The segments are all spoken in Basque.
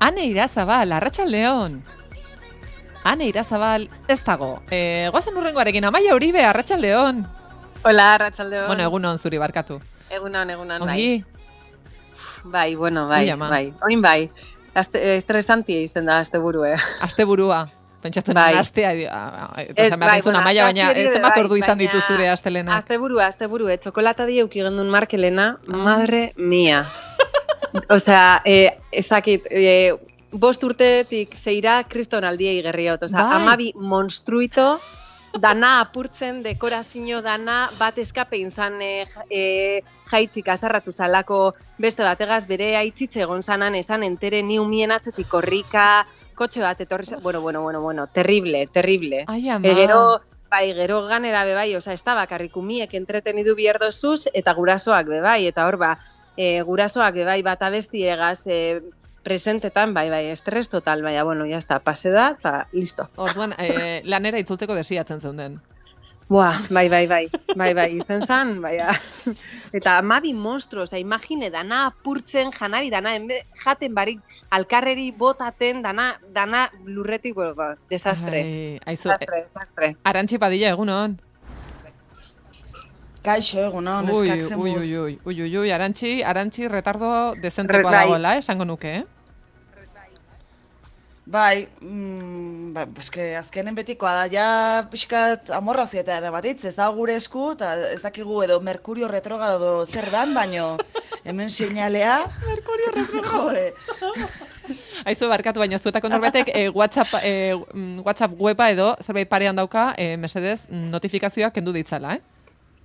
Ane Irazabal, Arratsaldeon. Ane Irazabal, ez dago. Goazen urrengoarekin, Amaia Uribe, Arratsaldeon. Hola, Arratsaldeon. Bueno, egunon zuri barkatu. Egunon, Ongi? Bai, oin bai. Estresantia izen da asteburue. Asteburua. Pentsatzen bai. Astea, eta bai, Amaia, baina ez zenbat ordu izan ditu zure astelenak. Asteburu, txokolata di euki gendun Markelena, madre mia. Osea, ezakit, 5 urtetik 6 kriston aldiei gerriot. Osea, 12 monstruito, dana apurtzen, dekorazio dana, bat eskape izan jaitzik azarratu zalako beste bategaz, bere aitzitze egon zanan, esan entere ni umien atzetik korrika, kotxe bat etorri, bueno, terrible. Ai, ama. Gero ganera bebai, oza, ez da bakarrik umiek entretenidu bierdozuz, eta gurasoak bebai, eta hor gurasoak bebai bat abestiegaz presentetan, bai, estres total, baina, bueno, ya está, pase da, eta listo. Orduan, lanera itzulteko desiatzen zeunden. Buah, bai, izen zan, baina. Eta 12 monstruo, oza, imagine, dana apurtzen, janari, dana, jaten barik, alkarreri botaten, dana lurretik, bueno, desastre. Desastre. Arantxi Padilla, egunon. Kaixo, egunon, eskatzen buz. Ui, Arantxi retardo dezentekoa dagoela, esango nuke, Bai, eske azkenen betikoa da, ja pixkat amorrazietan batitz, ez da gure esku, eta ez dakigu edo Merkurio retrogrado zer dan, baino hemen seinalea. Merkurio retrogrado. Aizu, barkatu, baina zuetako norbetek WhatsApp weba edo zerbait parean dauka, mesedez, notifikazioak kendu ditzala,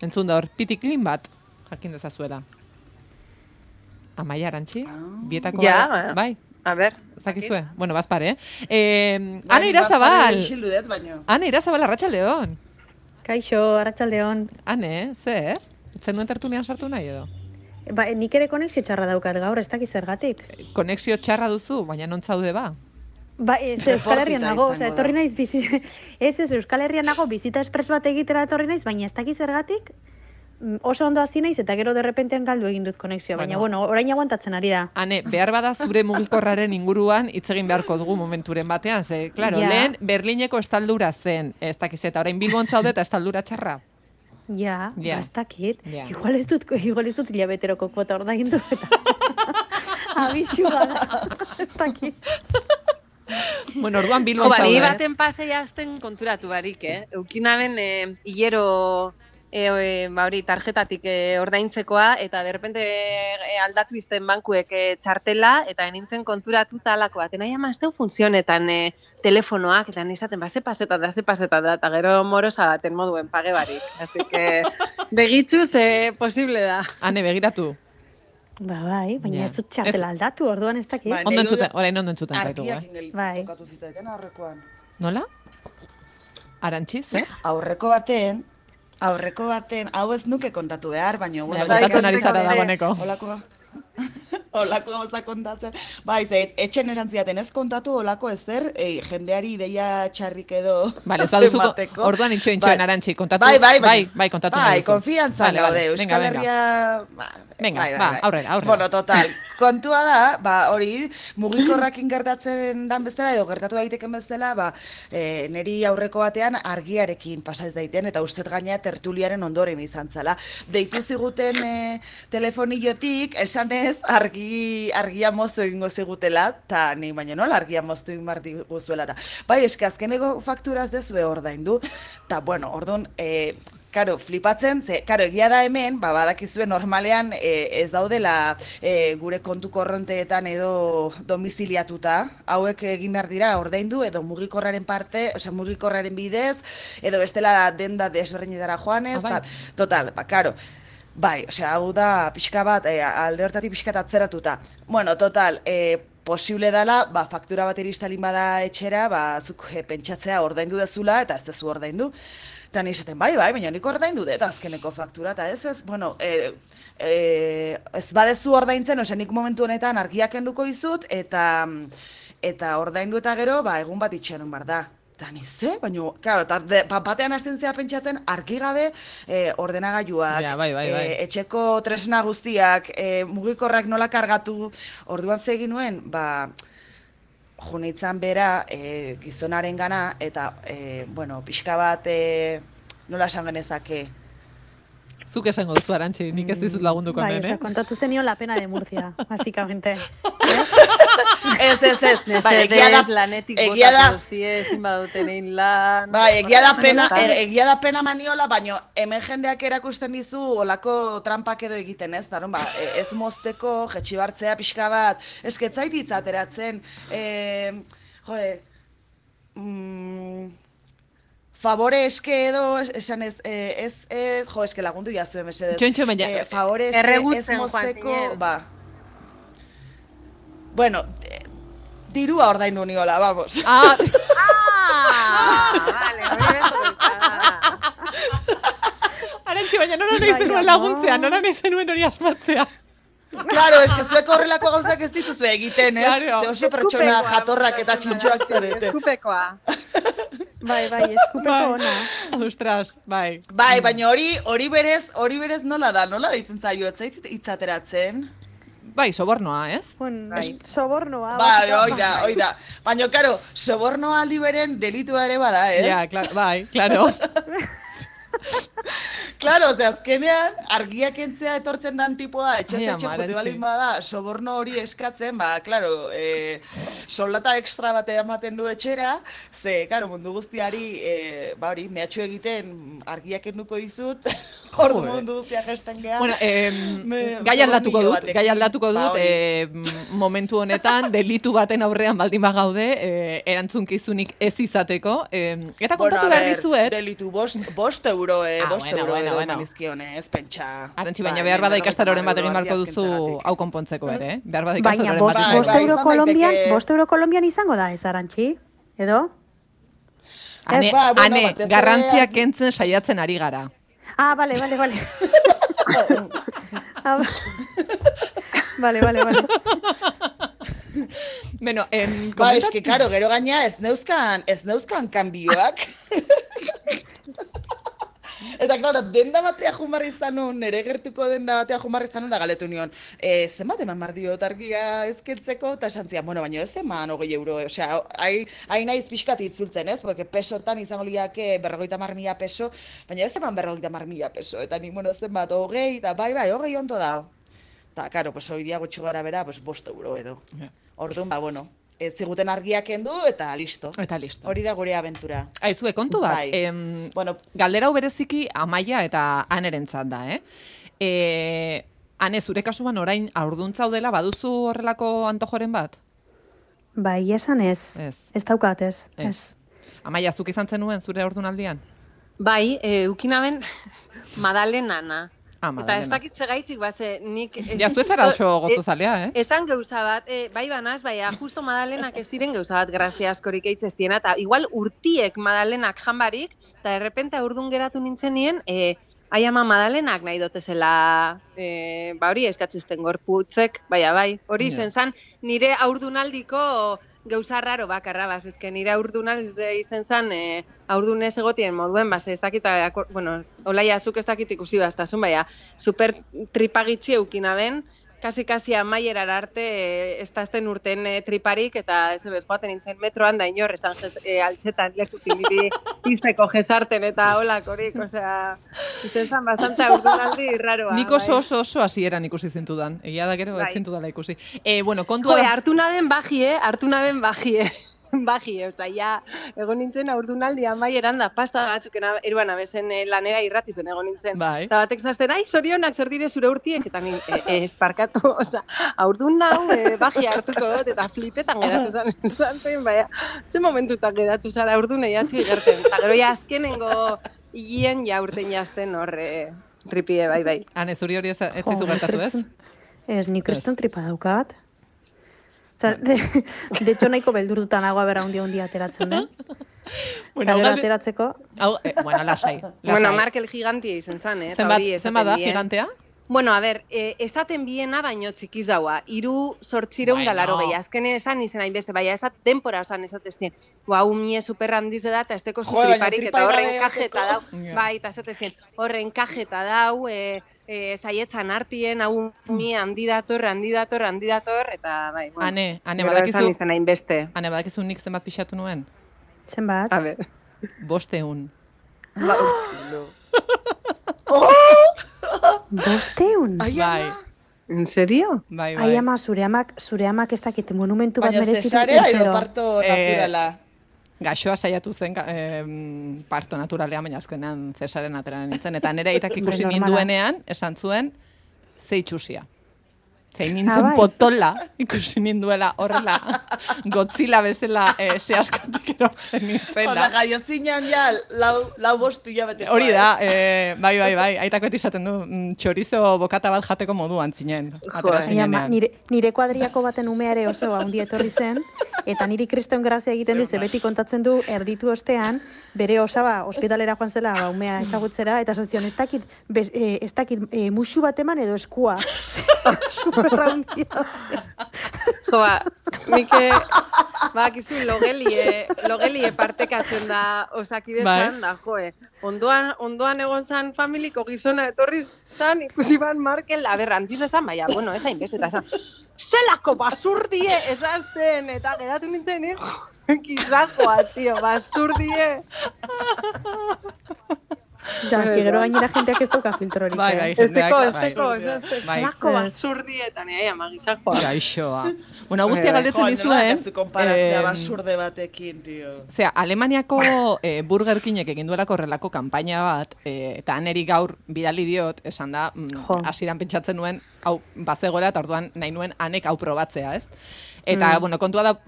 Entzun da hor, pitiklin bat, jakin dezazuela. Amaia, Arantxi, bietako bai? A ber, ez dakizue? Bueno, bazpare, Ane Irazabal! Ane Irazabal, Arratsaldeon! Kaixo, Arratsaldeon. Ane, zer? Zenuen tertulian sartu nahi edo? Ba, nik ere konexio txarra daukat gaur, ez dakiz zergatik. Konexio txarra duzu, baina non zaude ba? Ba, Euskal Herrian nago, etorri naiz Euskal Herrian nago, bizita espres bat egitera etorri naiz, baina ez dakiz zergatik, oso ondo hasi naiz eta gero derrepentean galdu egin dut konexioa, baina bueno, orain aguantatzen ari da. Ane, behar bada zure mugikorraren inguruan hitz egin beharko dugu momenturen batean, ze, claro, lehen Berlineko estaldura zen, ez dakiz eta orain Bilbon zaude eta estaldura txarra. Ja, ez dakit. Igual ez dut hilabeteroko kuota ordaindu eta abisua da, ez dakit. Bueno, orduan Bilbon zaude. Ni baten paseia azten konturatu barik, Eukinaben hilero tarjetatik ordaintzekoa, eta derrepente aldatu izten bankuek txartela, eta nintzen konturatu talako bat. Nahi ama, ez teu funtzionetan telefonoak, eta nizaten, ze paseta da, eta gero morosa baten moduen page barik. Así que, begitxuz, posible da. Ane, begiratu. Ba, bai, baina ez dut txartela aldatu, orduan ez dakit. Orain ondo entzuten zaitu, Bai. Aurrekoan. Nola? Arantxi, zer? Aurreko baten, hau ez nuke kontatu behar, baina... Kontatzen ari zara dagoeneko. Olako gauza kontatzen. Bai, etxen erantziaten ez kontatu olako ezer, jendeari ideia txarrik edo... Bale, ez baduzu, orduan intxoen Arantxi, kontatu... Bai, kontatu nahi duzu. Bai, konfiantzan gaude, Euskal Herria... Venga, aurrera. Bueno, total, kontua da, hori, mugikorrakin gertatzen dan bezala, edo gertatu daiteken bezala, niri aurreko batean argiarekin pasaz daiten, eta ustez gaina tertuliaren ondoren izan zala. Deitu ziguten telefonillotik, esanez, argia moztu egingo zigutela, eta ni baina nola argia moztu egin behar diguzuela. Bai, eske azkeneko fakturaz dezue ordaindu, eta bueno, orduan... Karo, flipatzen, egia da hemen, badakizue normalean ez daudela gure kontu korronteetan edo domiziliatuta, hauek egin behar dira ordaindu edo mugikorraren mugikorraren bidez, edo bestela denda desberdinetara joanez, total, karo. Bai, hau da pixka bat, alde hortatik pixka atzeratuta. Bueno, total, posible dela, faktura bat iristalin bada etxera, zuk pentsatzea ordaindu dezula eta ez dezu ordaindu. Eta nizaten, bai, baina nik ordaindu dut azkeneko faktura, eta ez, bueno, ez badezu ordaintzen, nik momentu honetan argiak kenduko izut, eta ordaindu eta gero, egun bat itxeran bar da. Eta nize, baina, claro, batean hasten zea pentsatzen, argi gabe ordenagailuak, etxeko tresna guztiak, mugikorrak nola kargatu, orduan zegin nuen, junitzan bera gizonaren gana, eta, bueno, pixka bat, nola esan genezake, Zuk esango duzu, Arantxi, nik ez dizut lagunduko bai, nen, kontatu zenio la pena de Murcia, básicamente. Ez. Mesedez, lanetik botatu guztie, ezin baduten egin lan. Bai, egia da pena maniola, baino hemen jendeak erakusten dizu olako trampak edo egiten, ez? Daron, ez mozteko, jetxibartzea pixka bat, esketzait itzateratzen, favore eske edo, esan ez, eske lagundu jazue, mesedez. Txontxo, baina. Favore eske ez mozteko, ba. Bueno, dirua ordaindu niola, vamos. Vale, hori Arantxi, baina nora nahi zenuen laguntzea, nora nahi zenuen hori asmatzea. Claro, eske zuek horrelako gauzak ez dituzu egiten, ez? Claro. Oso pertsona jatorrak eta txintxoak zarete. Eskupekoa. Bai, eskupeko ona. Ostras, bai. Bai, baina hori berez nola da, nola deitzen zaio, ez zait itzateratzen? Bai, sobornoa, ez? Bueno, sobornoa. Bai, hoi da. Baina, karo, sobornoa aldi beren delitua ere bada, ez? Ja, bai, claro. Claro, azkenean, argiak entzea etortzen dan tipoa, etxe jote balin bada, soborno hori eskatzen, claro, soldata extra bate ematen du etxera, ze, claro, mundu guztiari, hori, mehatxu egiten argiak enduko izut, ordu mundu guztiak gesten geha. Bueno, gai aldatuko dut, momentu honetan, delitu baten aurrean baldin bagaude, erantzunkizunik ez izateko, eta kontatu behar dizuet. Delitu, bost euro manizkionez, pentsa. Arantxi, baina behar bada ikastaroren bat egin barko duzu hau konpontzeko ere, behar bada baina bost euro Kolombian izango da, ez Arantxi? Edo? Hane, garrantzia kentzen saiatzen ari gara. Bale. Vale. Bueno, eske, karo, gero gaina ez neuzkan kanbioak. Eta, klaro, denda batea jumarri zanun, nire gertuko denda batea jumarri zanun, da galetu nion, zenbat eman mardio targia ezkeltzeko, eta esan zian, bueno, baina ez eman 20 euro, osea, hain naiz pixkat itzultzen, ez? Porque pesotan izango liake 50.000 peso, baina ez eman 50.000 peso, eta nik, bueno, zenbat, 20, eta bai, 20 ondo da. Eta, karo, pues, hori dia gutxo gara bera, pues, 5 euro edo. Orduan, bueno, ez ziguten argiak endu, eta listo. Hori da gure abentura. Aizue, kontu bat, bueno, galdera hau bereziki Amaia eta Anerentzat da, Ane, zure kasuan orain aurduntza dela baduzu horrelako antojoren bat? Bai, esan ez. Ez daukat, ez. Amaia, zuk izan zenuen zure aurdunaldian? Bai, ukinaben Madalenana. Eta ez dakitze gaitzik, nik... Ja, zuetzara oso gozozalea, Esan gauza bat, bai banaz, bai, justo Madalenak ez ziren gauza bat grazia askorik eitzestiena, eta igual urtiek Madalenak janbarik, eta errepente aurdun geratu nintzen nien, ai ama Madalenak nahi dotezela, hori eskatzizten gorputzek, bai, hori izen zan, nire aurdunaldiko gauza raro bakarra, ezke nire aurdunal izen zan, aurdunez egotien moduen, ez dakit, bueno, olaia azuk ez dakit ikusi bastazun, baina, super tripagitzi eukinaben, kasi amaierar arte ez dazten urten triparik, eta ez ebez, joaten nintzen metroan da inor, esan altzetan lekutin niri izteko jesarten eta holakorik, osea, izen zan bastante aurdunaldi raroa. Nik oso hasieran ikusi zintudan, egia da gero ez zintudala ikusi. Bueno, kontua... hartu naben bagie. Oza, ja, egon nintzen aurdunaldi amaieran da pasta batzuk eruan abezen lanera irratizen egon nintzen. Bai. Eta batek zazten, zorionak zer dire zure urtiek, eta ni esparkatu, oza, aurdun nau bagia hartuko dut, eta flipetan geratu zen, baina, ze momentutan geratu zara aurdun eiatzi gerten. Eta gero ja azkenengo higien ja urten jazten horre tripie, bai. Hane, zuri hori ez zizu gertatu ez? Ez, nik kriston tripa daukat. De hecho, nahiko beldurtuta nagoa bera hundia ateratzen den. Eta gero ateratzeko... Bueno, lasai. Bueno, Markel gigantia izen zan, Zenbat da gigantea? Bueno, a ver, esaten biena baino txikiz daua. 3.880 azkenen esan izen hainbeste, baina esat denpora esan esateztien. Mie super handiz da, eta esteko triparik, eta horren kajeta dau. Bai, eta esateztien, horren kajeta dau, saietzan artien, hau mi handi dator, eta bai, bueno. Ane, badakizu... Izan hainbeste. Ane, badakizu nik zenbat pixatu nuen? Zenbat? A ber. 500. 500? Bai. En serio? Bai. Ai ama, zure amak ez dakit monumentu bat Baina merezitu. cesarea edo parto naturala? Gaixoa saiatu zen parto naturalean, baina azkenean cesaren ateran nintzen. Eta nire aitak ikusi ninduenean, esan zuen, ze itxusia. Zein nintzen potola, ikusi ninduela horrela, Godzilla bezala ze askatik erortzen nintzela. Osa, gaio zinean ja, lau bostu hilabete. Hori da, bai, aitako beti izaten du, txorizo bokata bat jateko moduan zinen. Nire kuadriako baten umeare oso handi etorri zen, eta niri kriston grazia egiten dit, beti kontatzen du erditu ostean, bere osaba ospitalera joan zela umea ezagutzera, eta esan zion, ez dakit musu bat eman edo eskua. Superraundia zen. Joa, nike, bakizu logelie partekatzen da Osakidetzan, da, joe. Ondoan egon zan familiko gizona etorri zan, ikusi ban Markel, antiz esan, baina, bueno, ez hainbeste, eta esan, zelako basurdie esazten, eta geratu nintzen, kizajoa, tio, basurdie. Ja, gero gainera jenteak ez dauka filtrorik. Bai, Esteko, zelako basurdietan, magizajoa. Gaixoa. Bueno, guztia galdetzen dizuen. Konparazia basurde batekin, tio. Zea, Alemaniako Burger Kingek egin duelako horrelako kanpaina bat, eta neri gaur bidali diot, esan da, hasieran pentsatzen nuen, hau, bazegoela, eta orduan nahi nuen anek hau probatzea, ez? Eta, bueno, kontua da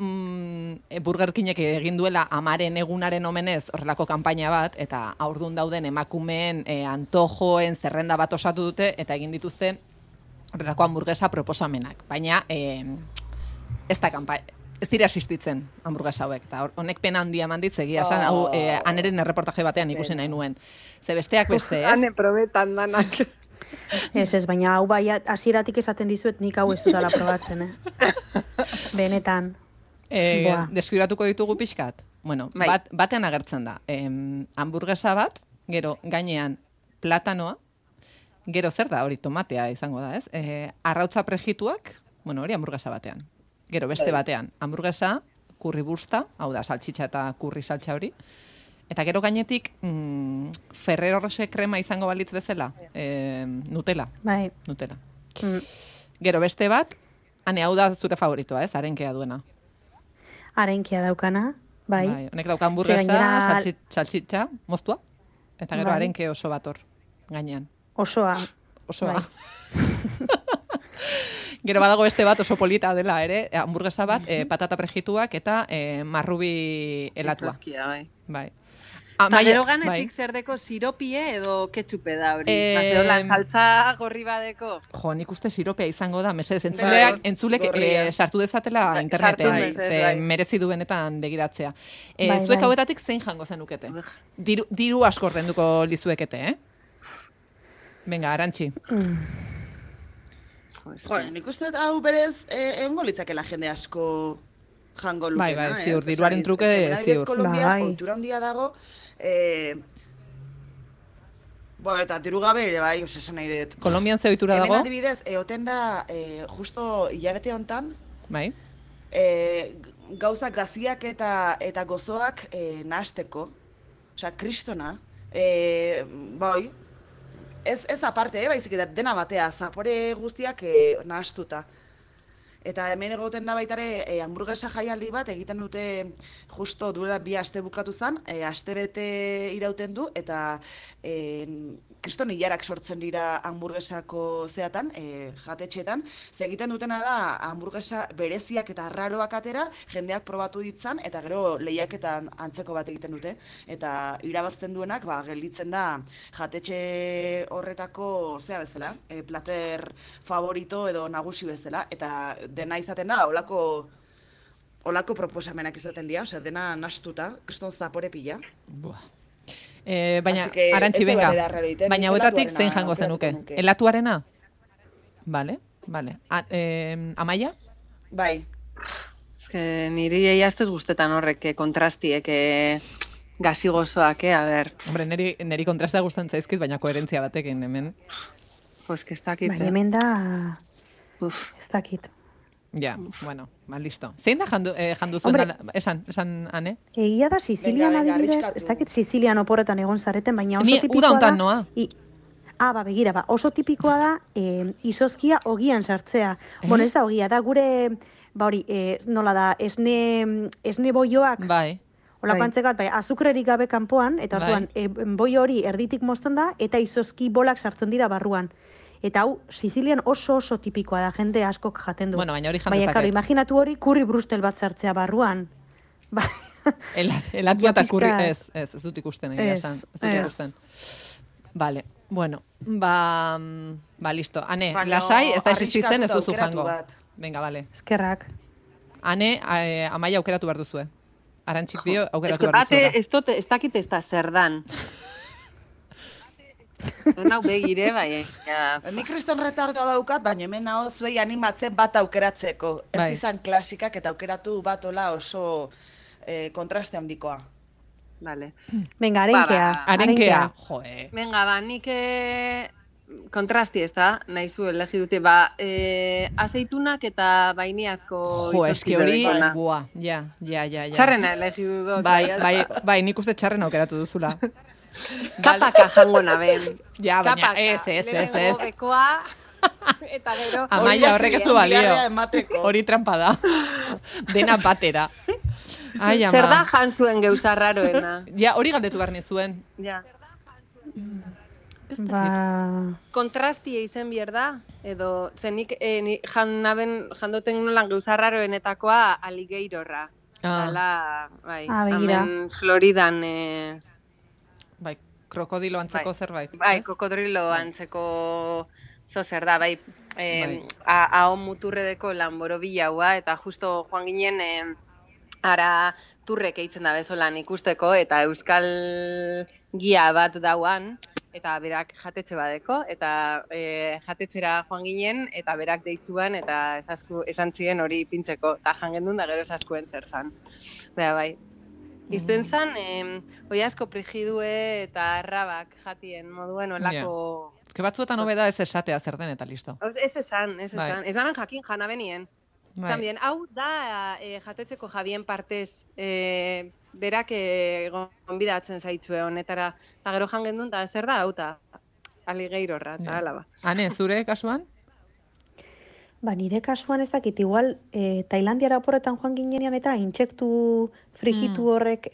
Burger Kingek egin duela amaren egunaren omenez horrelako kanpaina bat, eta aurdun dauden emakumeen antojoen zerrenda bat osatu dute, eta egin dituzte horrelako hamburguesa proposamenak. Baina, ez dira asistitzen hamburguesa hauek, eta honek pena handia manditz egia esan, hau aneren erreportaje batean ikusi nahi nuen. Ze besteak beste, ez? Ane probetan danak. Ez, baina hau bai, hasieratik esaten dizuet nik hau ez dutala probatzen, Benetan. Deskribatuko ditugu pixkat? Bueno, batean agertzen da. Hamburguesa bat, gero gainean platanoa, gero zer da, hori tomatea izango da, ez? Arrautza prejituak, bueno, hori hamburguesa batean. Gero beste batean, hamburguesa, kurri busta, hau da, saltxitxa eta kurri saltxa hori. Eta gero gainetik, Ferrero Rocher krema izango balitz bezala, Nutella. Bai. Nutella. Gero beste bat, hau da zure favoritoa, ez? Arenkea duena. Arenkea daukana, bai. Honek dauka hamburguesa, saltxitxa, moztua, eta gero arenke oso bat hor, gainean. Osoa. Bai. Gero badago beste bat oso polita dela ere, hamburguesa bat, patata prejituak eta marrubi helatua. Bai. Eta gero ganetik zer deko siropie edo ketxupe da hori. Bazeolan saltza gorri badeko. Jo, nik uste siropea izango da, mesedez, entzulek sartu dezatela interneten, merezi du benetan begiratzea. Zuek hauetatik zein jango zenukete? Diru asko ordenduko lizuekete, Venga, Arantxi. Jo, nik uste hau berez egongo litzakela jende asko jango lukena. Bai, ziur, diruaren truke, ziur. Kolombia, kultura handia dago, eta diru gabe ere bai, esan nahi dut. Kolombian ze ohitura dago? Hemen adibidez, egoten da, justo hilabete honetan, bai. Gauzak gaziak eta gozoak nahasteko, osea, kristona, bai, ez aparte, baizik eta dena batea, zapore guztiak nahastuta. Eta hemen egoten da baitare hamburguesa jaialdi bat egiten dute justo duela 2 aste bukatu zen, aste bete irauten du, eta kriston hilarak sortzen dira hamburguesako zeatan, jatetxeetan. Ze egiten dutena da hamburguesa bereziak eta arraroak atera, jendeak probatu ditzan, eta gero lehiaketan antzeko bat egiten dute. Eta irabazten duenak, gelditzen da jatetxe horretako zea bezala, plater favorito edo nagusi bezala, eta dena izaten da, olako proposamenak izaten dira, osea, dena nastuta, kriston zapore pila. Baina, Arantxi, venga, baina hauetatik zein jango zenuke? Elatuarena? Vale. Amaia? Bai. Ez que niri eiaztez guztetan horrek kontrastiek gazi gozoak, a ber. Hombre, niri kontrastea gustatzen zaizkit, baina koherentzia batekin, hemen. Pues que ez dakit. Bai, hemen da... Ez dakit. Ja, bueno, listo. Zein da jandu zuen? Hombre, esan, Ane? Egia da, Sizilian Venga, adibidez, arriskatu. ez dakit Sizilian oporretan egon zareten, baina oso Ni tipikoa uda da... hontan noa. Begira, oso tipikoa da izozkia ogian sartzea. Bueno, ez da ogia, da gure, nola da, esne boioak, Bai. hola pantzekat, azukrerik gabe kanpoan, eta orduan, boio hori erditik mozten da, eta izozki bolak sartzen dira barruan. Eta hau, Sizilian oso tipikoa da, jende askok jaten du. Bueno, baina hori jandezaket. Baina, karo, imaginatu hori kurri brustel bat sartzea barruan. Elatua eta kurri, ez dut ikusten egia esan. Ez dut ikusten. Vale, bueno, listo. Ane, lasai, ez da existitzen, ez duzu jango. Venga, vale. Eskerrak. Ane, Amaia aukeratu behar duzue. Arantxik bio aukeratu behar duzuela. Ez dakit ez da zer dan. Nau begire, bai. Ni kriston retardoa daukat, baina hemen hau zuei animatzen bat aukeratzeko. Ez izan klasikak eta aukeratu bat ola oso kontraste handikoa. Vale. Venga, arenkea. Joe. Venga, nik kontrasti ez da, nahi zu elegi dute, azeitunak eta bainiazko eski hori, ja. Txarrena elegi dut. Bai, nik uste txarrena aukeratu duzula. Kapaka jango naben. Ja, baina ez. Bekoa, eta gero... Amaia, horrek ez du balio. Hori trampa da. Dena batera. Ai, ama. Zer da jan zuen geuza raroena? Ja, hori galdetu behar nizuen. Ja. Kontrastia izen bier da? Edo, zenik jandoten nolan geuza raroenetakoa aligeirorra. Dala, hemen Floridan... Bai, krokodilo antzeko zerbait. Bai, krokodilo antzeko zer da, bai. Ahon muturredeko lanboro bilaua, eta justo joan ginen ara turrek eitzen da bezolan ikusteko, eta euskal gia bat dauan, eta berak jatetxe badeko, eta jatetxera joan ginen, eta berak deitzuan, eta esan ziren hori pintzeko, eta jangendun da gero esaskuen zer zan. Bai. Izten zan, oiazko prigidue eta arrabak jatien moduen olako... Que batzuetan hobeda ez esatea zer den eta listo. Ez esan. Ez namen jakin jana benien. Zambien, hau da jatetzeko Javien partez berak gonbidatzen zaitzue honetara. Eta gero jangendun, eta zer da, hau ta aligeirorra, eta alaba. Ane, zure kasuan? Nire kasuan ez dakit, igual Tailandiara oporretan joan ginean eta intsektu frigitu horrek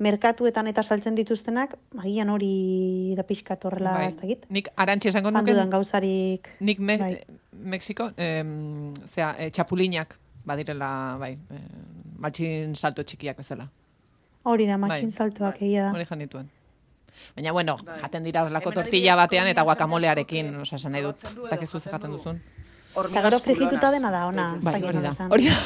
merkatuetan eta saltzen dituztenak, agian hori da pixkat horrela ez dakit. Nik arantxe esango nuken... Handudan gauzarik... Nik Mexiko, txapulinak badirela, matxin salto txikiak bezala. Hori da, matxin saltoak egia da. Hori jan dituen. Baina, bueno, jaten dira horlako tortilla batean eta guacamolearekin, esan nahi dut, ez dakizu ze jaten duzun. Eta gero frigituta dena da, ona. Hori da.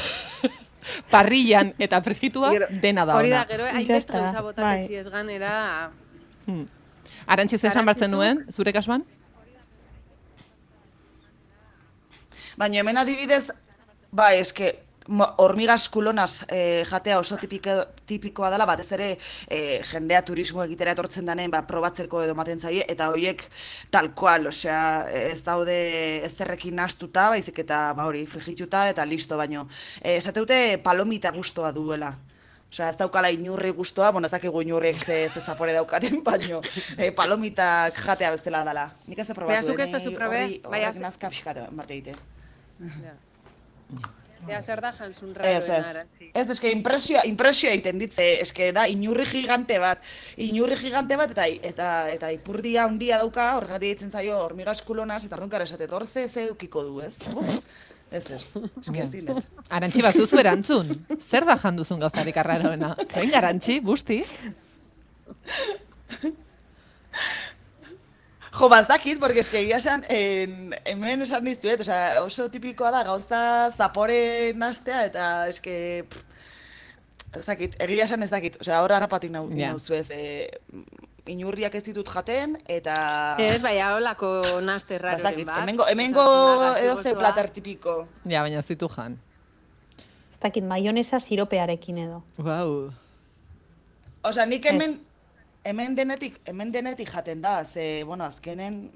Parrillan eta frigitua dena da, ona. Hori da, gero hainbeste gauza botatetzi ez ganera... Arantxiz esan bartzen duen, zure kasuan? Baina hemen adibidez, eske... Hormigas kulonaz jatea oso tipikoa dela, batez ere jendea turismo egitera etortzen danen probatzeko edo maten zaie, eta horiek tal cual, osea, ez daude ezerrekin nahastuta, baizik eta hori frigituta eta listo, baino. Esateute palomita gustoa duela. Osea, ez daukala inurri gustoa, ez dakigu inurriek ze zapore daukaten, baino palomitak jatea bezala dela. Nik ez aprobatu, zuk ez duzu probe? Horrek nazka pixkatu, marte egite. Ea zer da jantzun raroen arantzi. Ez, eske impresioa egiten ditze, eske da inurri gigante bat eta ipurdia handia dauka, horregatik ditzen zaio hormigas kulonaz, eta horrenkara esatet, hor ze eukiko du, ez? Ez, eske ez dinet. Arantxi bat duzu erantzun, zer da janduzun gauzarik arraroena? Venga, Arantxi, busti? Jo, bazakit, porque eske egia esan, hemen esan diztuet, oso tipikoa da gauza zapore nastea, eta eske, ezakit, egia esan ezakit, horra harrapatik nauzu ez, inurriak ez ditut jaten, eta... Ez, holako naste raroren bat. Hemengo edoze plater tipiko. Ja, baina ez ditu jan. Ez dakit, maionesa siropearekin edo. Wow. Nik hemen denetik jaten da, ze, azkenen,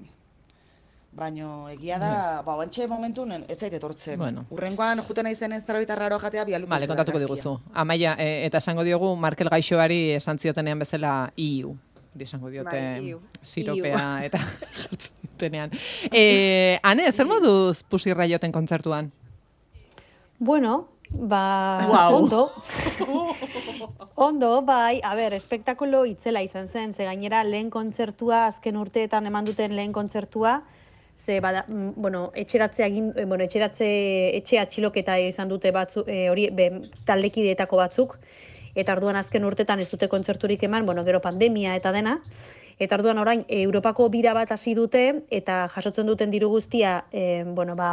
Baina egia da, bantxe momentun ez zait etortzen. Bueno. Urrengoan juten naizen ez zerbait raro jatea bialuko. Vale, kontatuko diguzu. Amaia, eta esango diogu Markel Gaixoari esan ziotenean bezala iu. Esango diote siropea eta jartzenean. Ane, zer moduz Pusirra joten kontzertuan? Bueno, ondo. Ondo, bai, a ber, espektakulo itzela izan zen, ze gainera lehen kontzertua, azken urteetan eman duten lehen kontzertua, ze etxe atxiloketa izan dute batzu, taldekideetako batzuk, eta orduan azken urtetan ez dute kontzerturik eman, gero pandemia eta dena, eta orduan orain Europako bira bat hasi dute, eta jasotzen duten diru guztia,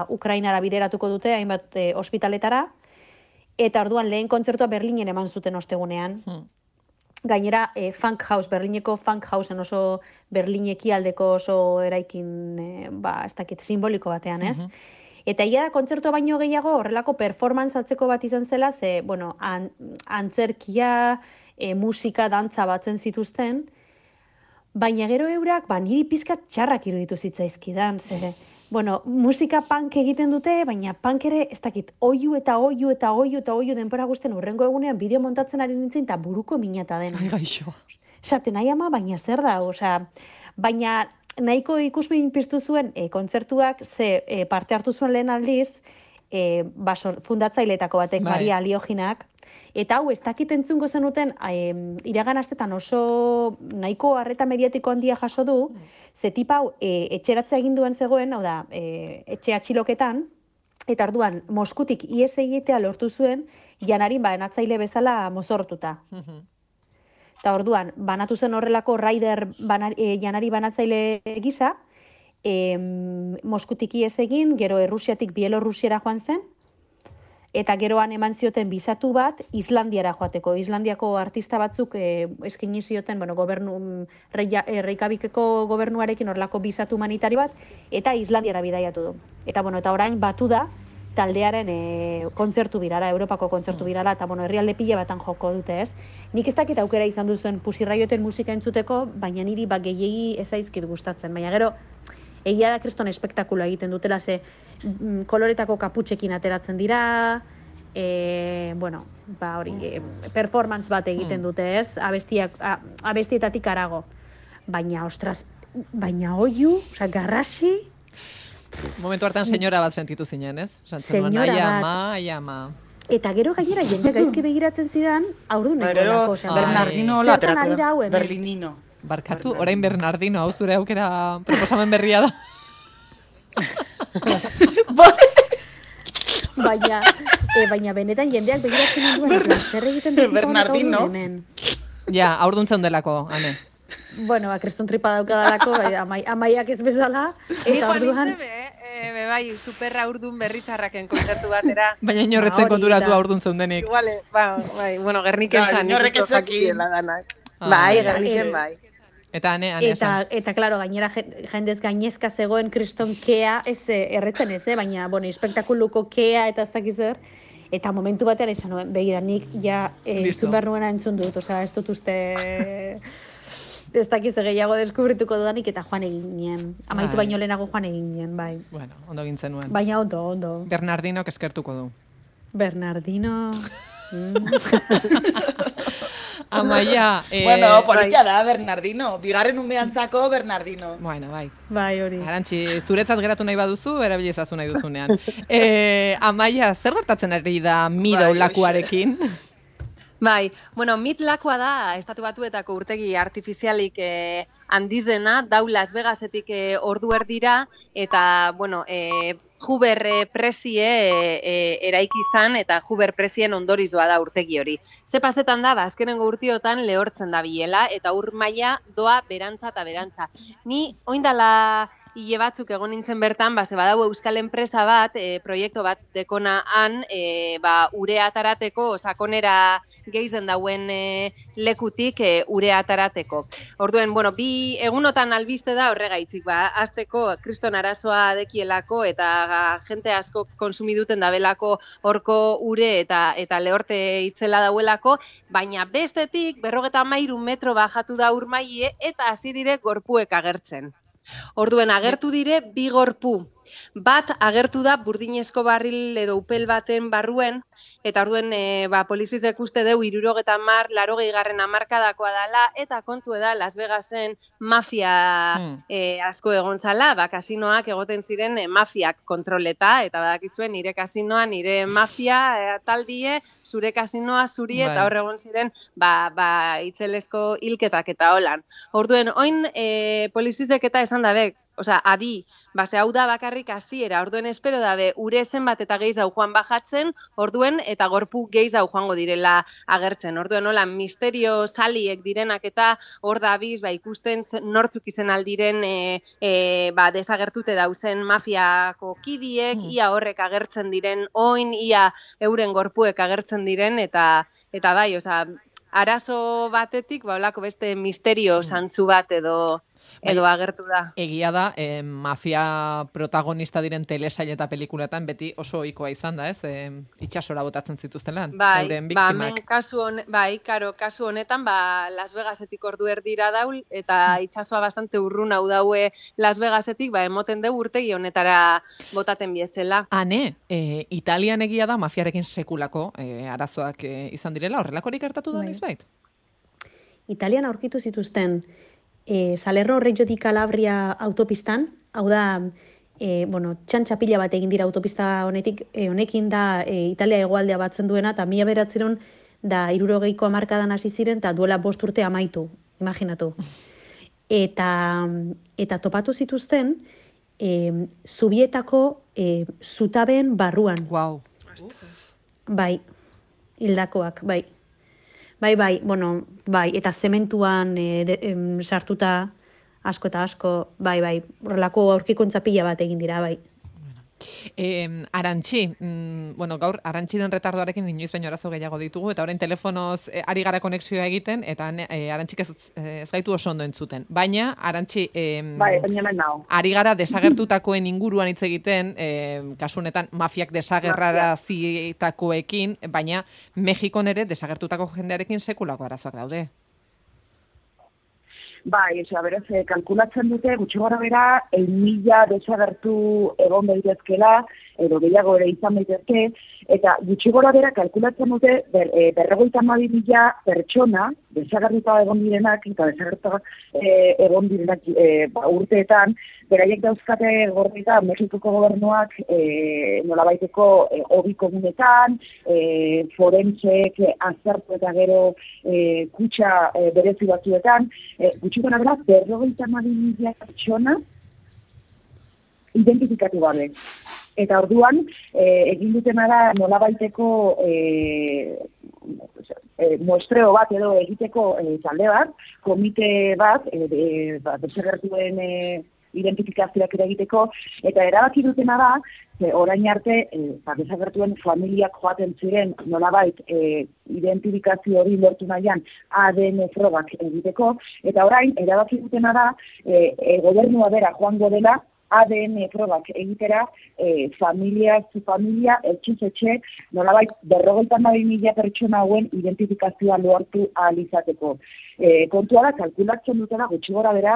Ukrainara bideratuko dute, hainbat ospitaletara, eta orduan lehen kontzertua Berlinen eman zuten ostegunean. Gainera, Funk House, Berlineko Funk Houseen oso Berlineki aldeko oso eraikin, ez dakit, simboliko batean, ez? Eta ia da kontzertua baino gehiago horrelako performance atzeko bat izan zela, ze, antzerkia, musika, dantza batzen zituzten, baina gero eurak, niri pizkat txarrak iruditu zitzaizkidan, ze, musika punk egiten dute, baina punk ere, ez dakit, oiu denpora guztien urrengo egunean bideo montatzen ari nintzen, eta buruko minata dena. Ai, gaixo. Esaten, nahi ama, baina zer da, baina nahiko ikusmin piztu zuen kontzertuak, ze parte hartu zuen lehen aldiz, fundatzaileetako batek, Maria Alioginak, eta hau, ez dakit entzungo zenuten, iragan astetan oso nahiko harreta mediatiko handia jaso du, ze tipa hau etxeratzea egin duen zegoen, hau da, etxe atxiloketan, eta orduan Moskutik ihes egitea lortu zuen, Janarin banatzaile bezala mozortuta. Eta orduan, banatu zen horrelako Raider Janari banatzaile gisa, Moskutik ihes egin, gero Errusiatik Bielorrusiara joan zen, eta geroan eman zioten bizatu bat Islandiara joateko. Islandiako artista batzuk eskaini zioten, Reykjavikeko gobernuarekin horrelako bizatu humanitari bat, eta Islandiara bidaiatu du. Eta orain batu da taldearen kontzertu birara, Europako kontzertu birara, eta herrialde pila batan joko dute, ez? Nik ez dakit aukera izan duzuen Pusirra joten musika entzuteko, baina niri gehiegi ez zaizkit gustatzen. Baina gero, egia da kriston espektakuloa egiten dutela, ze koloretako kaputxekin ateratzen dira, performance bat egiten dute, ez? Abestietatik arago. Baina, ostras, oiu, garrasi. Momentu hartan senyora bat sentitu zinen, ez? Senyora bat. Ama. Eta gero gainera jende gaizki begiratzen zidan, aurduneko lako. Bernardino laterako da, Berlinino. Barkatu, orain Bernardino, hau zure aukera proposamen berria da. Baina benetan jendeak begiratzen duen, zer egiten dut Bernardino. Ja, aurduntzen delako, Ane. Kriston tripa daukadalako, amaiak ez bezala, eta orduan... Bai, superra urdun berritxarraken kontzertu batera. Baina inorretzen konturatu aurduntzen denik. Iguale, Gerniken zan. Inorrek etzekin. Bai, Gerniken bai. Eta Ane eta klaro, gainera jendez gainezka zegoen kriston kea, ez erretzen ez, baina, espektakuluko kea eta ez dakiz zer, eta momentu batean esan nuen, begira, nik ja entzun behar nuena entzun dut, ez dut uste... Ez dakiz gehiago deskubrituko dudanik eta joan egin nien. Amaitu baino lehenago joan egin nien, bai. Bueno, ondo gintzen nuen. Baina ondo. Bernardino eskertuko du. Bernardino... Amaia... Politia da, Bernardino. Bigarren umeantzako Bernardino. Bueno, bai. Bai, hori. Arantxi, zuretzat geratu nahi baduzu, erabilizazu nahi duzunean. Amaia, zer gertatzen ari da Meadow lakuarekin? Bai, MIT lakua da Estatu Batuetako urtegi artifizialik handizena, dau Las Vegasetik ordu erdira, eta, Hoover presie eraiki izan, eta Hoover presien ondorizoa da urtegi hori. Ze pasetan da, azkenengo urtiotan lehortzen da bilela, eta ur maila doa berantza eta berantza. Ni, oindala hile batzuk egon nintzen bertan, ze badau euskal enpresa bat, proiektu bat dekona han, urea atarateko, sakonera gehizen dauen lekutik urea atarateko. Orduen, bi egunotan albiste da horregaitzik, azteko kriston arazoa dekielako, eta jente asko konsumiduten dabelako horko ure eta lehorte itzela dauelako, baina bestetik 53 metro bajatu da urmaile eta hasi dire gorpuek agertzen. Orduen agertu dire bi gorpu. Bat agertu da burdinezko barril edo upel baten barruen, eta orduen polizizek uste deu 70, 80. hamarkadakoa dela, eta kontu da Las Vegasen mafia asko egon zala, kasinoak egoten ziren mafiak kontroleta, eta badakizuen nire kasinoa, nire mafia taldie, zure kasinoa zuri, eta hor egon ziren itzelezko hilketak eta holan. Orduen, oin polizizek eta esan dabe, adi, ze hau da bakarrik hasiera, orduen espero dabe, ure zenbat eta gehiago joan bajatzen, orduen eta gorpu gehiago joango direla agertzen. Orduen, hola, misterio saliek direnak eta hor dabiz, ikusten nortzuk izen aldiren desagertute dauzen mafiako kidiek, ia horrek agertzen diren, oin, ia euren gorpuek agertzen diren, eta bai, arazo batetik, olako beste misterio zantzu bat edo agertu da. Egia da, mafia protagonista diren telesail eta pelikuletan beti oso ohikoa izan da, ez? Itxasora botatzen zituzten euren biktimak. Kasu honetan, Las Vegasetik ordu erdira daul, eta itxasoa bastante urrun hau daue Las Vegasetik, emoten deu urtegi honetara botaten biezela. Hane, Italian egia da mafiarekin sekulako arazoak izan direla, horrelakorik gertatu da nizbait? Italian aurkitu zituzten Salerno Reggio di Calabria autopistan, hau da, txantxapila bat egin dira autopista honekin da Italia hegoaldea batzen duena, eta 1900 da 60ko hamarkadan hasi ziren, eta duela 5 urte amaitu, imaginatu. Eta topatu zituzten, Zubietako zutabeen barruan. Wow. Bai, hildakoak, bai. Eta zementuan sartuta asko eta asko, horrelako aurkikuntza pila bat egin dira, bai. Arantxi, gaur Arantxiren retardoarekin inoiz baino arazo gehiago ditugu, eta orain telefonoz ari gara konexioa egiten, eta Arantxik ez gaitu oso ondo entzuten. Baina, Arantxi, ari gara desagertutakoen inguruan hitz egiten, kasunetan mafiak desagerrarazitakoekin, baina Mexikon ere desagertutako jendearekin sekulako arazoak daude. Beraz, kalkulatzen dute, gutxi gora bera, 1.000 desagertu egon daitezkela, edo gehiago ere izan daitezke, eta gutxi gora bera kalkulatzen dute, 52.000 pertsona desagertuta egon direnak, eta desagertuta egon direnak urteetan, beraiek dauzkate gordita Mexikoko gobernuak nolabaiteko hobi komunetan, forensek aztertu eta gero kutxa berezi batzuetan, gutxi gora bera, 52.000 pertsona identifikatu gabe. Eta orduan, egin dutena da nolabaiteko muestreo bat edo egiteko talde bat, komite bat, desagertuen identifikazioak ere egiteko, eta erabaki dutena da, orain arte, desagertuen familiak joaten ziren nolabait identifikazio hori lortu nahian ADN frogak egiteko, eta orain erabaki dutena da, gobernua bera joango dela, ADN probak egitera, familia, etxez-etxe, nolabait 52.000 pertsona hauen identifikazioa lortu ahal izateko. Kontua da, kalkulatzen dutela, gutxi gora bera,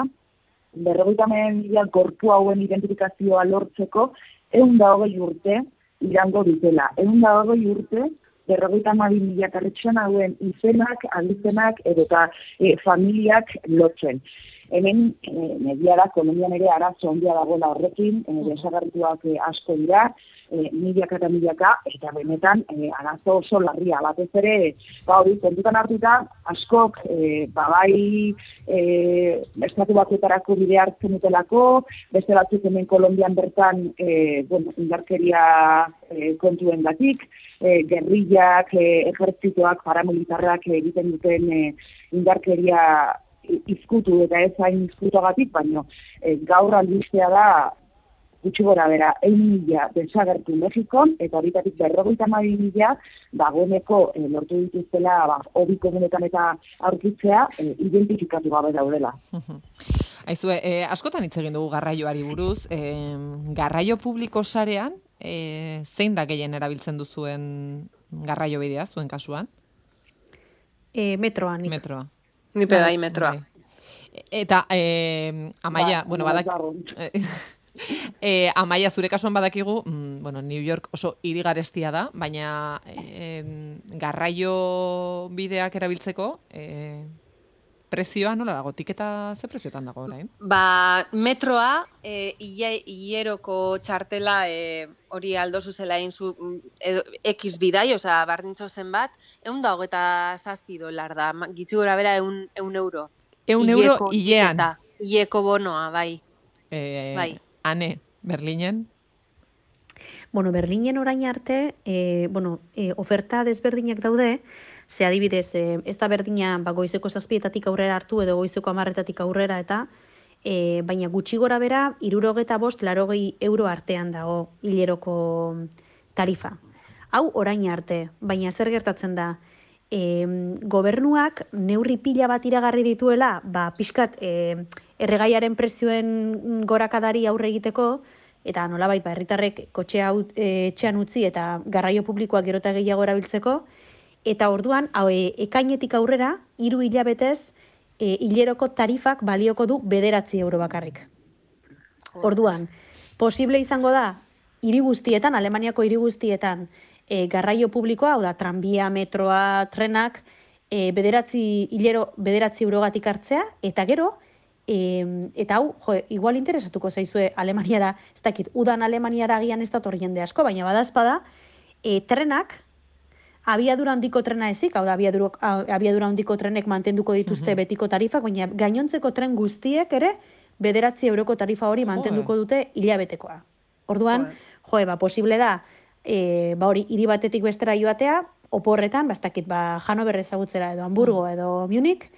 52.000 gorpu hauen identifikazioa lortzeko, 120 urte irango dutela. 120 urte, 52.000 pertsona hauen izenak, abizenak, edota familiak lotzen. Hemen, negia da, Kolonbian ere arazo ondia dagoela horrekin, desagertuak asko dira, milaka eta milaka, eta benetan arazo oso larria. Batez ere, kontutan hartuta, askok, estatu batuetarako bide hartzen dutelako, beste batzuk hemen Kolonbian bertan, indarkeria kontuen gatik, gerrillak, ejertzitoak, paramilitarrak egiten duten indarkeria izkutu eta ez hain izkutuagatik, baina gaur albistea da gutxi gora bera 1.000 desagertu Mexikon, eta horitatik 52.000 dagoeneko lortu dituztela hobi komunetan eta aurkitzea identifikatu gabe daudela. Aizue, askotan hitz egin dugu garraioari buruz, garraio publiko sarean, zein da gehien erabiltzen duzuen garraio bidea, zuen kasuan? Metroa. Nipe bai, metroa. Eta, Amaia, bueno, Amaia, zure kasuan badakigu, bueno, New York oso hiri garestia da, baina garraio bideak erabiltzeko, prezioa nola dago? Tiketa ze prezioetan dago orain? Metroa, hileroko txartela hori aldo zuzela egin zu X bidai, osea, bardintzo zen bat, $127 da, gitzi gora bera €1. €1 hilean? Hileko bonoa, bai. Bai. Ane, Berlinen? Bueno, Berlinen orain arte, oferta desberdinak daude, ze adibidez, ez da berdina goizeko 7 aurrera hartu edo goizeko 10 aurrera eta, baina gutxi gora bera, 75-80 euro artean dago hileroko tarifa. Hau orain arte, baina zer gertatzen da, gobernuak neurri pila bat iragarri dituela, pixkat erregaiaren prezioen gorakadari aurre egiteko, eta nolabait herritarrek kotxea etxean utzi eta garraio publikoak gero eta gehiago erabiltzeko, eta orduan, ekainetik aurrera, 3 hilabetez, hileroko tarifak balioko du €9 bakarrik. Orduan, posible izango da, hiri guztietan, Alemaniako hiri guztietan, garraio publikoa, hau da, tranbia, metroa, trenak, €9 hartzea, eta gero, eta hau, igual interesatuko zaizue Alemaniara, ez dakit, udan Alemaniara agian ez dator jende asko, baina badazpada, trenak, abiadura handiko trena ezik, hau da, abiadura handiko trenek mantenduko dituzte betiko tarifak, baina gainontzeko tren guztiek ere, €9 tarifa hori mantenduko dute hilabetekoa. Orduan, posible da, hori hiri batetik bestera joatea, oporretan, ez dakit, Hanover ezagutzera edo Hamburgo edo Munich,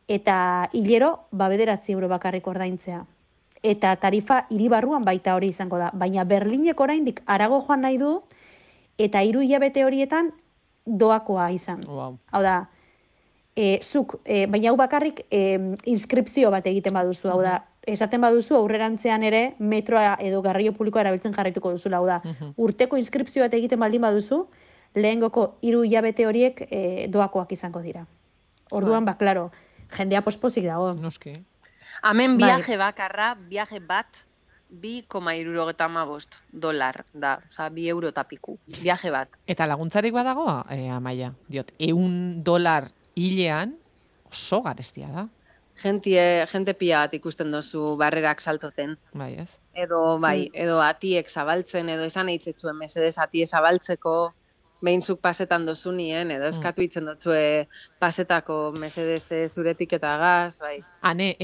eta hilero, €9 bakarrik ordaintzea. Eta tarifa hiri barruan baita hori izango da. Baina Berlinek oraindik harago joan nahi du, eta 3 hilabete horietan doakoa izan. Wow. Hau da, baina hau bakarrik inskripzio bat egiten baduzu, hau da, esaten baduzu aurrerantzean ere metroa edo garraio publikoa erabiltzen jarraituko duzula, hau da, urteko inskripzio bat egiten baldin baduzu, lehengoko 3 hilabete horiek doakoak izango dira. Orduan, klaro, jendea pospozik dago. Noski. Hemen viaje bakarra, viaje bat, $2,75 da, oza, €2 eta piku, viaje bat. Eta laguntzarik badago, Amaia? Diot, $1 hilean oso garestia da. Gente pila bat ikusten dozu barrerak saltoten. Bai, ez? Edo atiek zabaltzen, edo esan eitzetzuen mesedez atie zabaltzeko, behintzuk pasetan dozunien, edo eskatu itzen dotzue pasetako mesedez zuretik eta gaz, bai. Hane,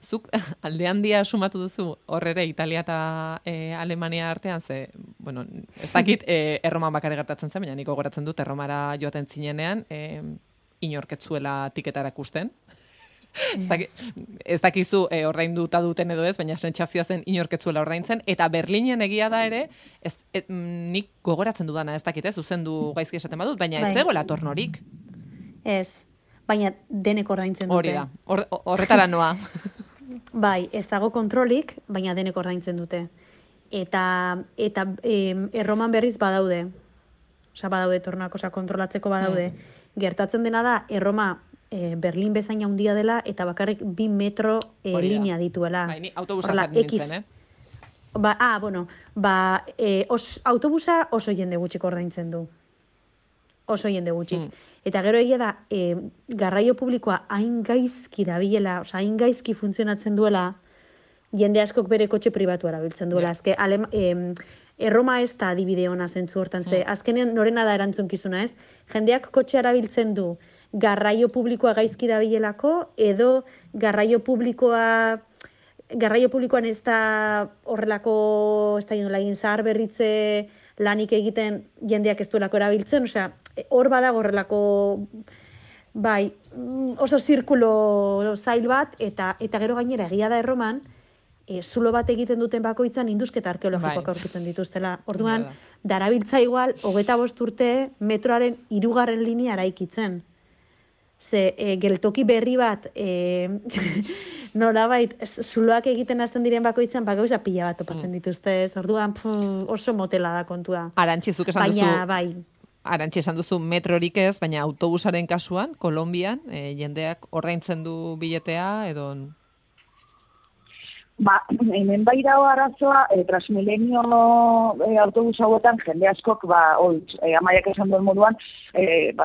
zuk alde handia sumatu duzu horrere Italia eta Alemania artean, ze, bueno, ez dakit Erroman bakare gertatzen zen, baina niko goratzen dut Erromara joaten zinenean, inorketzuela tiketara ikusten. Ez dakizu ordainduta duten edo ez, baina sentsazioa zen inorketzuela ordaintzen, eta Berlinen egia da ere, nik gogoratzen dudana ez dakit, zuzendu gaizki esaten badut, baina ez zegoela tornorik. Ez, baina denek ordaintzen dute. Hori da, horretara noa. Bai, ez dago kontrolik, baina denek ordaintzen dute. Eta Erroman berriz badaude. Osa, badaude tornak, kontrolatzeko badaude. Gertatzen dena da, Erroma Berlin bezain handia dela, eta bakarrik 2 metro linea dituela. Bai, ni autobusa nintzen, autobusa oso jende gutxik ordaintzen du. Oso jende gutxik. Eta gero egia da, garraio publikoa hain gaizki dabilela, oza, hain gaizki funtzionatzen duela, jende askok bere kotxe pribatua erabiltzen duela. Azke, Erroma ez da adibide ona zentzu hortan, ze azkenean norena da erantzunkizuna, ez? Jendeak kotxe erabiltzen du garraio publikoa gaizki dabilelako, edo garraio publikoan ez da horrelako, ez da egin zahar berritze lanik egiten jendeak ez duelako erabiltzen, osea, hor badago horrelako, bai, oso zirkulo zail bat, eta gero gainera egia da Erroman, zulo bat egiten duten bakoitzan indusketa arkeologikoak aurkitzen dituztela. Orduan, darabiltza igual, 25 urte metroaren 3. linea eraikitzen. Ze, geltoki berri bat, nolabait, zuloak egiten hasten diren bakoitzan, gauza pila bat topatzen dituzte. Orduan, oso motela da kontua. Arantxi, zuk esan duzu. Baina, bai. Arantxa esan duzu metrorik ez, baina autobusaren kasuan, Kolonbian, jendeak ordaintzen du biletea, edo... Hemen bai dago arazoa, Transmilenio autobus hauetan jende askok, Amaiak esan duen moduan,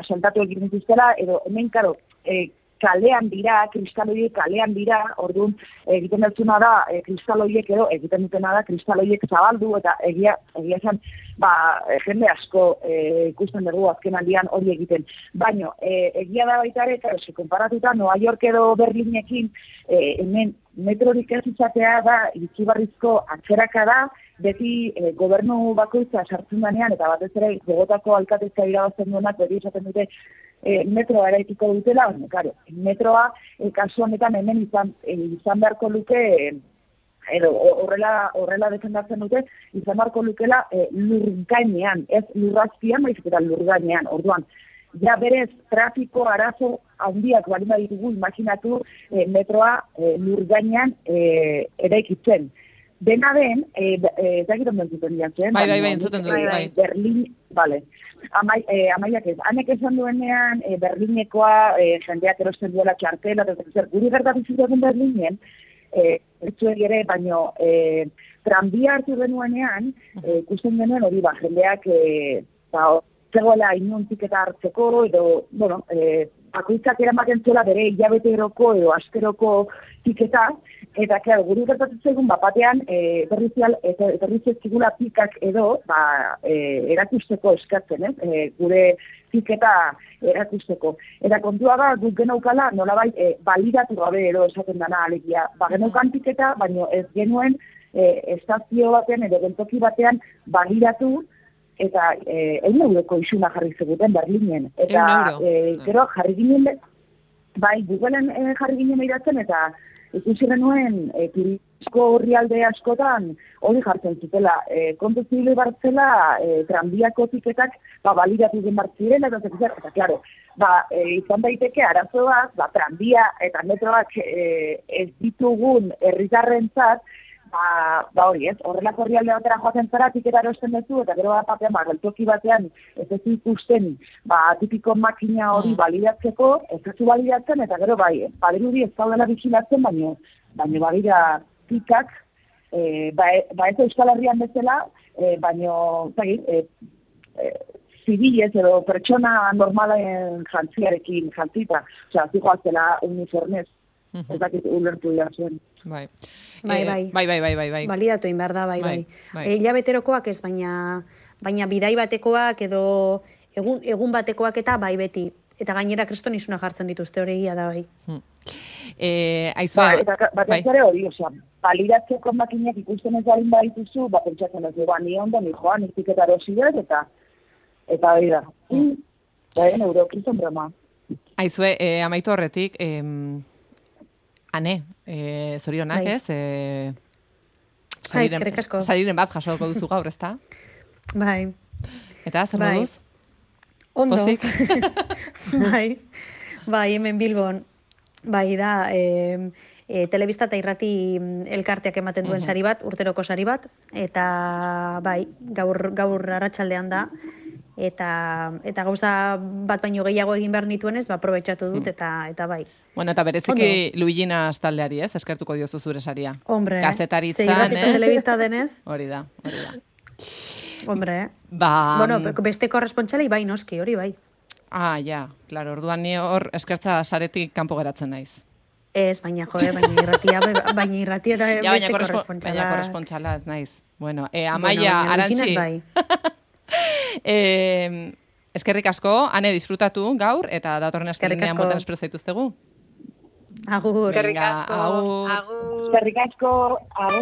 saltatu egiten dituztela, edo hemen, karo, kalean dira, kristaloiek kalean dira, orduan egiten dutuna da, kristaloiek edo egiten dutena da, kristaloiek zabaldu, eta egia esan, jende asko ikusten dugu azken aldian hori egiten. Baina, egia da baita ere, eta konparatuta, Nueva York edo Berlinekin, hemen metrorik ez izatea da, iritzibarrizko atzeraka da, beti gobernu bakoitza sartzen danean, eta batez ere, Bogotako alkatezka irabazten duenak, beti esaten dute, metroa eraikiko dutela, claro, metroa kasu honetan hemen izan beharko luke, edo horrela defendatzen dute, izan beharko lukela lurgainean, ez lurrazpian, baizik eta lurgainean, orduan. Ja berez, trafiko arazo handiak balin baditugu, imaginatu metroa lurgainean eraikitzen. Dena den, ezagiton bentzuten diatzen. Bai, entzuten du. Berlin, bale. Amaiak ez. Hanek esan duenean, Berlinekoa, jendeak erosten duela txartela, guri gertatu zuten Berlinen, etxuegi ere, baino, tranbia hartu denuenean, ikusten denuen hori, jendeak, zegoela inuntik eta hartzeko, edo, bakoitzak eramaten zuela bere hilabeteroko edo asteroko tiketa, eta, claro, guri gertatzen zaigun, batean, berriz ezkigula pikak edo, erakusteko eskatzen, gure tiketa erakusteko. Eta kontua da, guk genaukala, nolabait, balidatu gabe edo esaten dana alegia. Genaukan tiketa, baina ez genuen estazio batean edo gentoki batean balidatu, eta 100 euroko isuna jarri zeguten Berlinen. Eta gero jarri ginen, Googleen jarri ginen behiratzen, eta ikusi genuen turizko horrialde askotan hori jartzen zutela. Kontu zibili bartzela, tranbiako tiketak balidatu den bartziren, eta klaro, izan daiteke arazoak, tranbia eta metroak ez ditugun herritarrentzat, hori ez, horrelako herrialde batera joaten zara, tiketa erosten duzu, eta gero batean, geltoki batean, ez ez ikusten, tipiko makina hori balidatzeko, ez ez balidatzen, eta gero badirudi ez daudela bizilatzen, baina badira tikak, ez Euskal Herrian bezala, baina, zibilez edo pertsona normalen jantziarekin jantzita, zijoazela uniformez, ez dakit ulertu dira zuen. Bai. Balidatu inbar da, bai. Hilabeterokoak ez, baina bidai batekoak edo egun batekoak eta bai beti. Eta gainera kriston isuna jartzen dituzte hori egia da, bai. Aizua... Eta batez ere hori, balidatzeko makinak ikusten ez balin badituzu, pentsatzen ez dugu, ni ondo, ni joan, iztiketa erosidez, eta hori da. Euro, kriston broma. Aizue, amaitu horretik, Ane, zorionak ez? Sariren bat jasoko duzu gaur, ezta? Bai. Eta, zer moduz? Ondo. Pozik? Bai, hemen Bilbon. Bai, da, telebista eta irrati elkarteak ematen duen sari bat, urteroko sari bat, eta bai, gaur arratsaldean da, eta gauza bat baino gehiago egin behar nituenez, aprobetxatu dut, eta bai. Bueno, eta bereziki Luiginas taldeari, ez? Eskertuko diozu zure saria. Hombre, kazetaritzan, irratita telebista denez. Hori da. Hombre, bueno, beste korrespontxalei bai noski, hori bai. Ja, klaro, orduan ni hor eskertza saretik kanpo geratzen naiz. Ez, baina irratia eta beste korrespontxala. Baina korrespontxala, naiz. Bueno, Amaia, Arantxi. Eskerrik asko, Ane, disfrutatu gaur, eta datorren azkenean moten espero zaituztegu. Agur. Eskerrik asko. Eskerrik asko.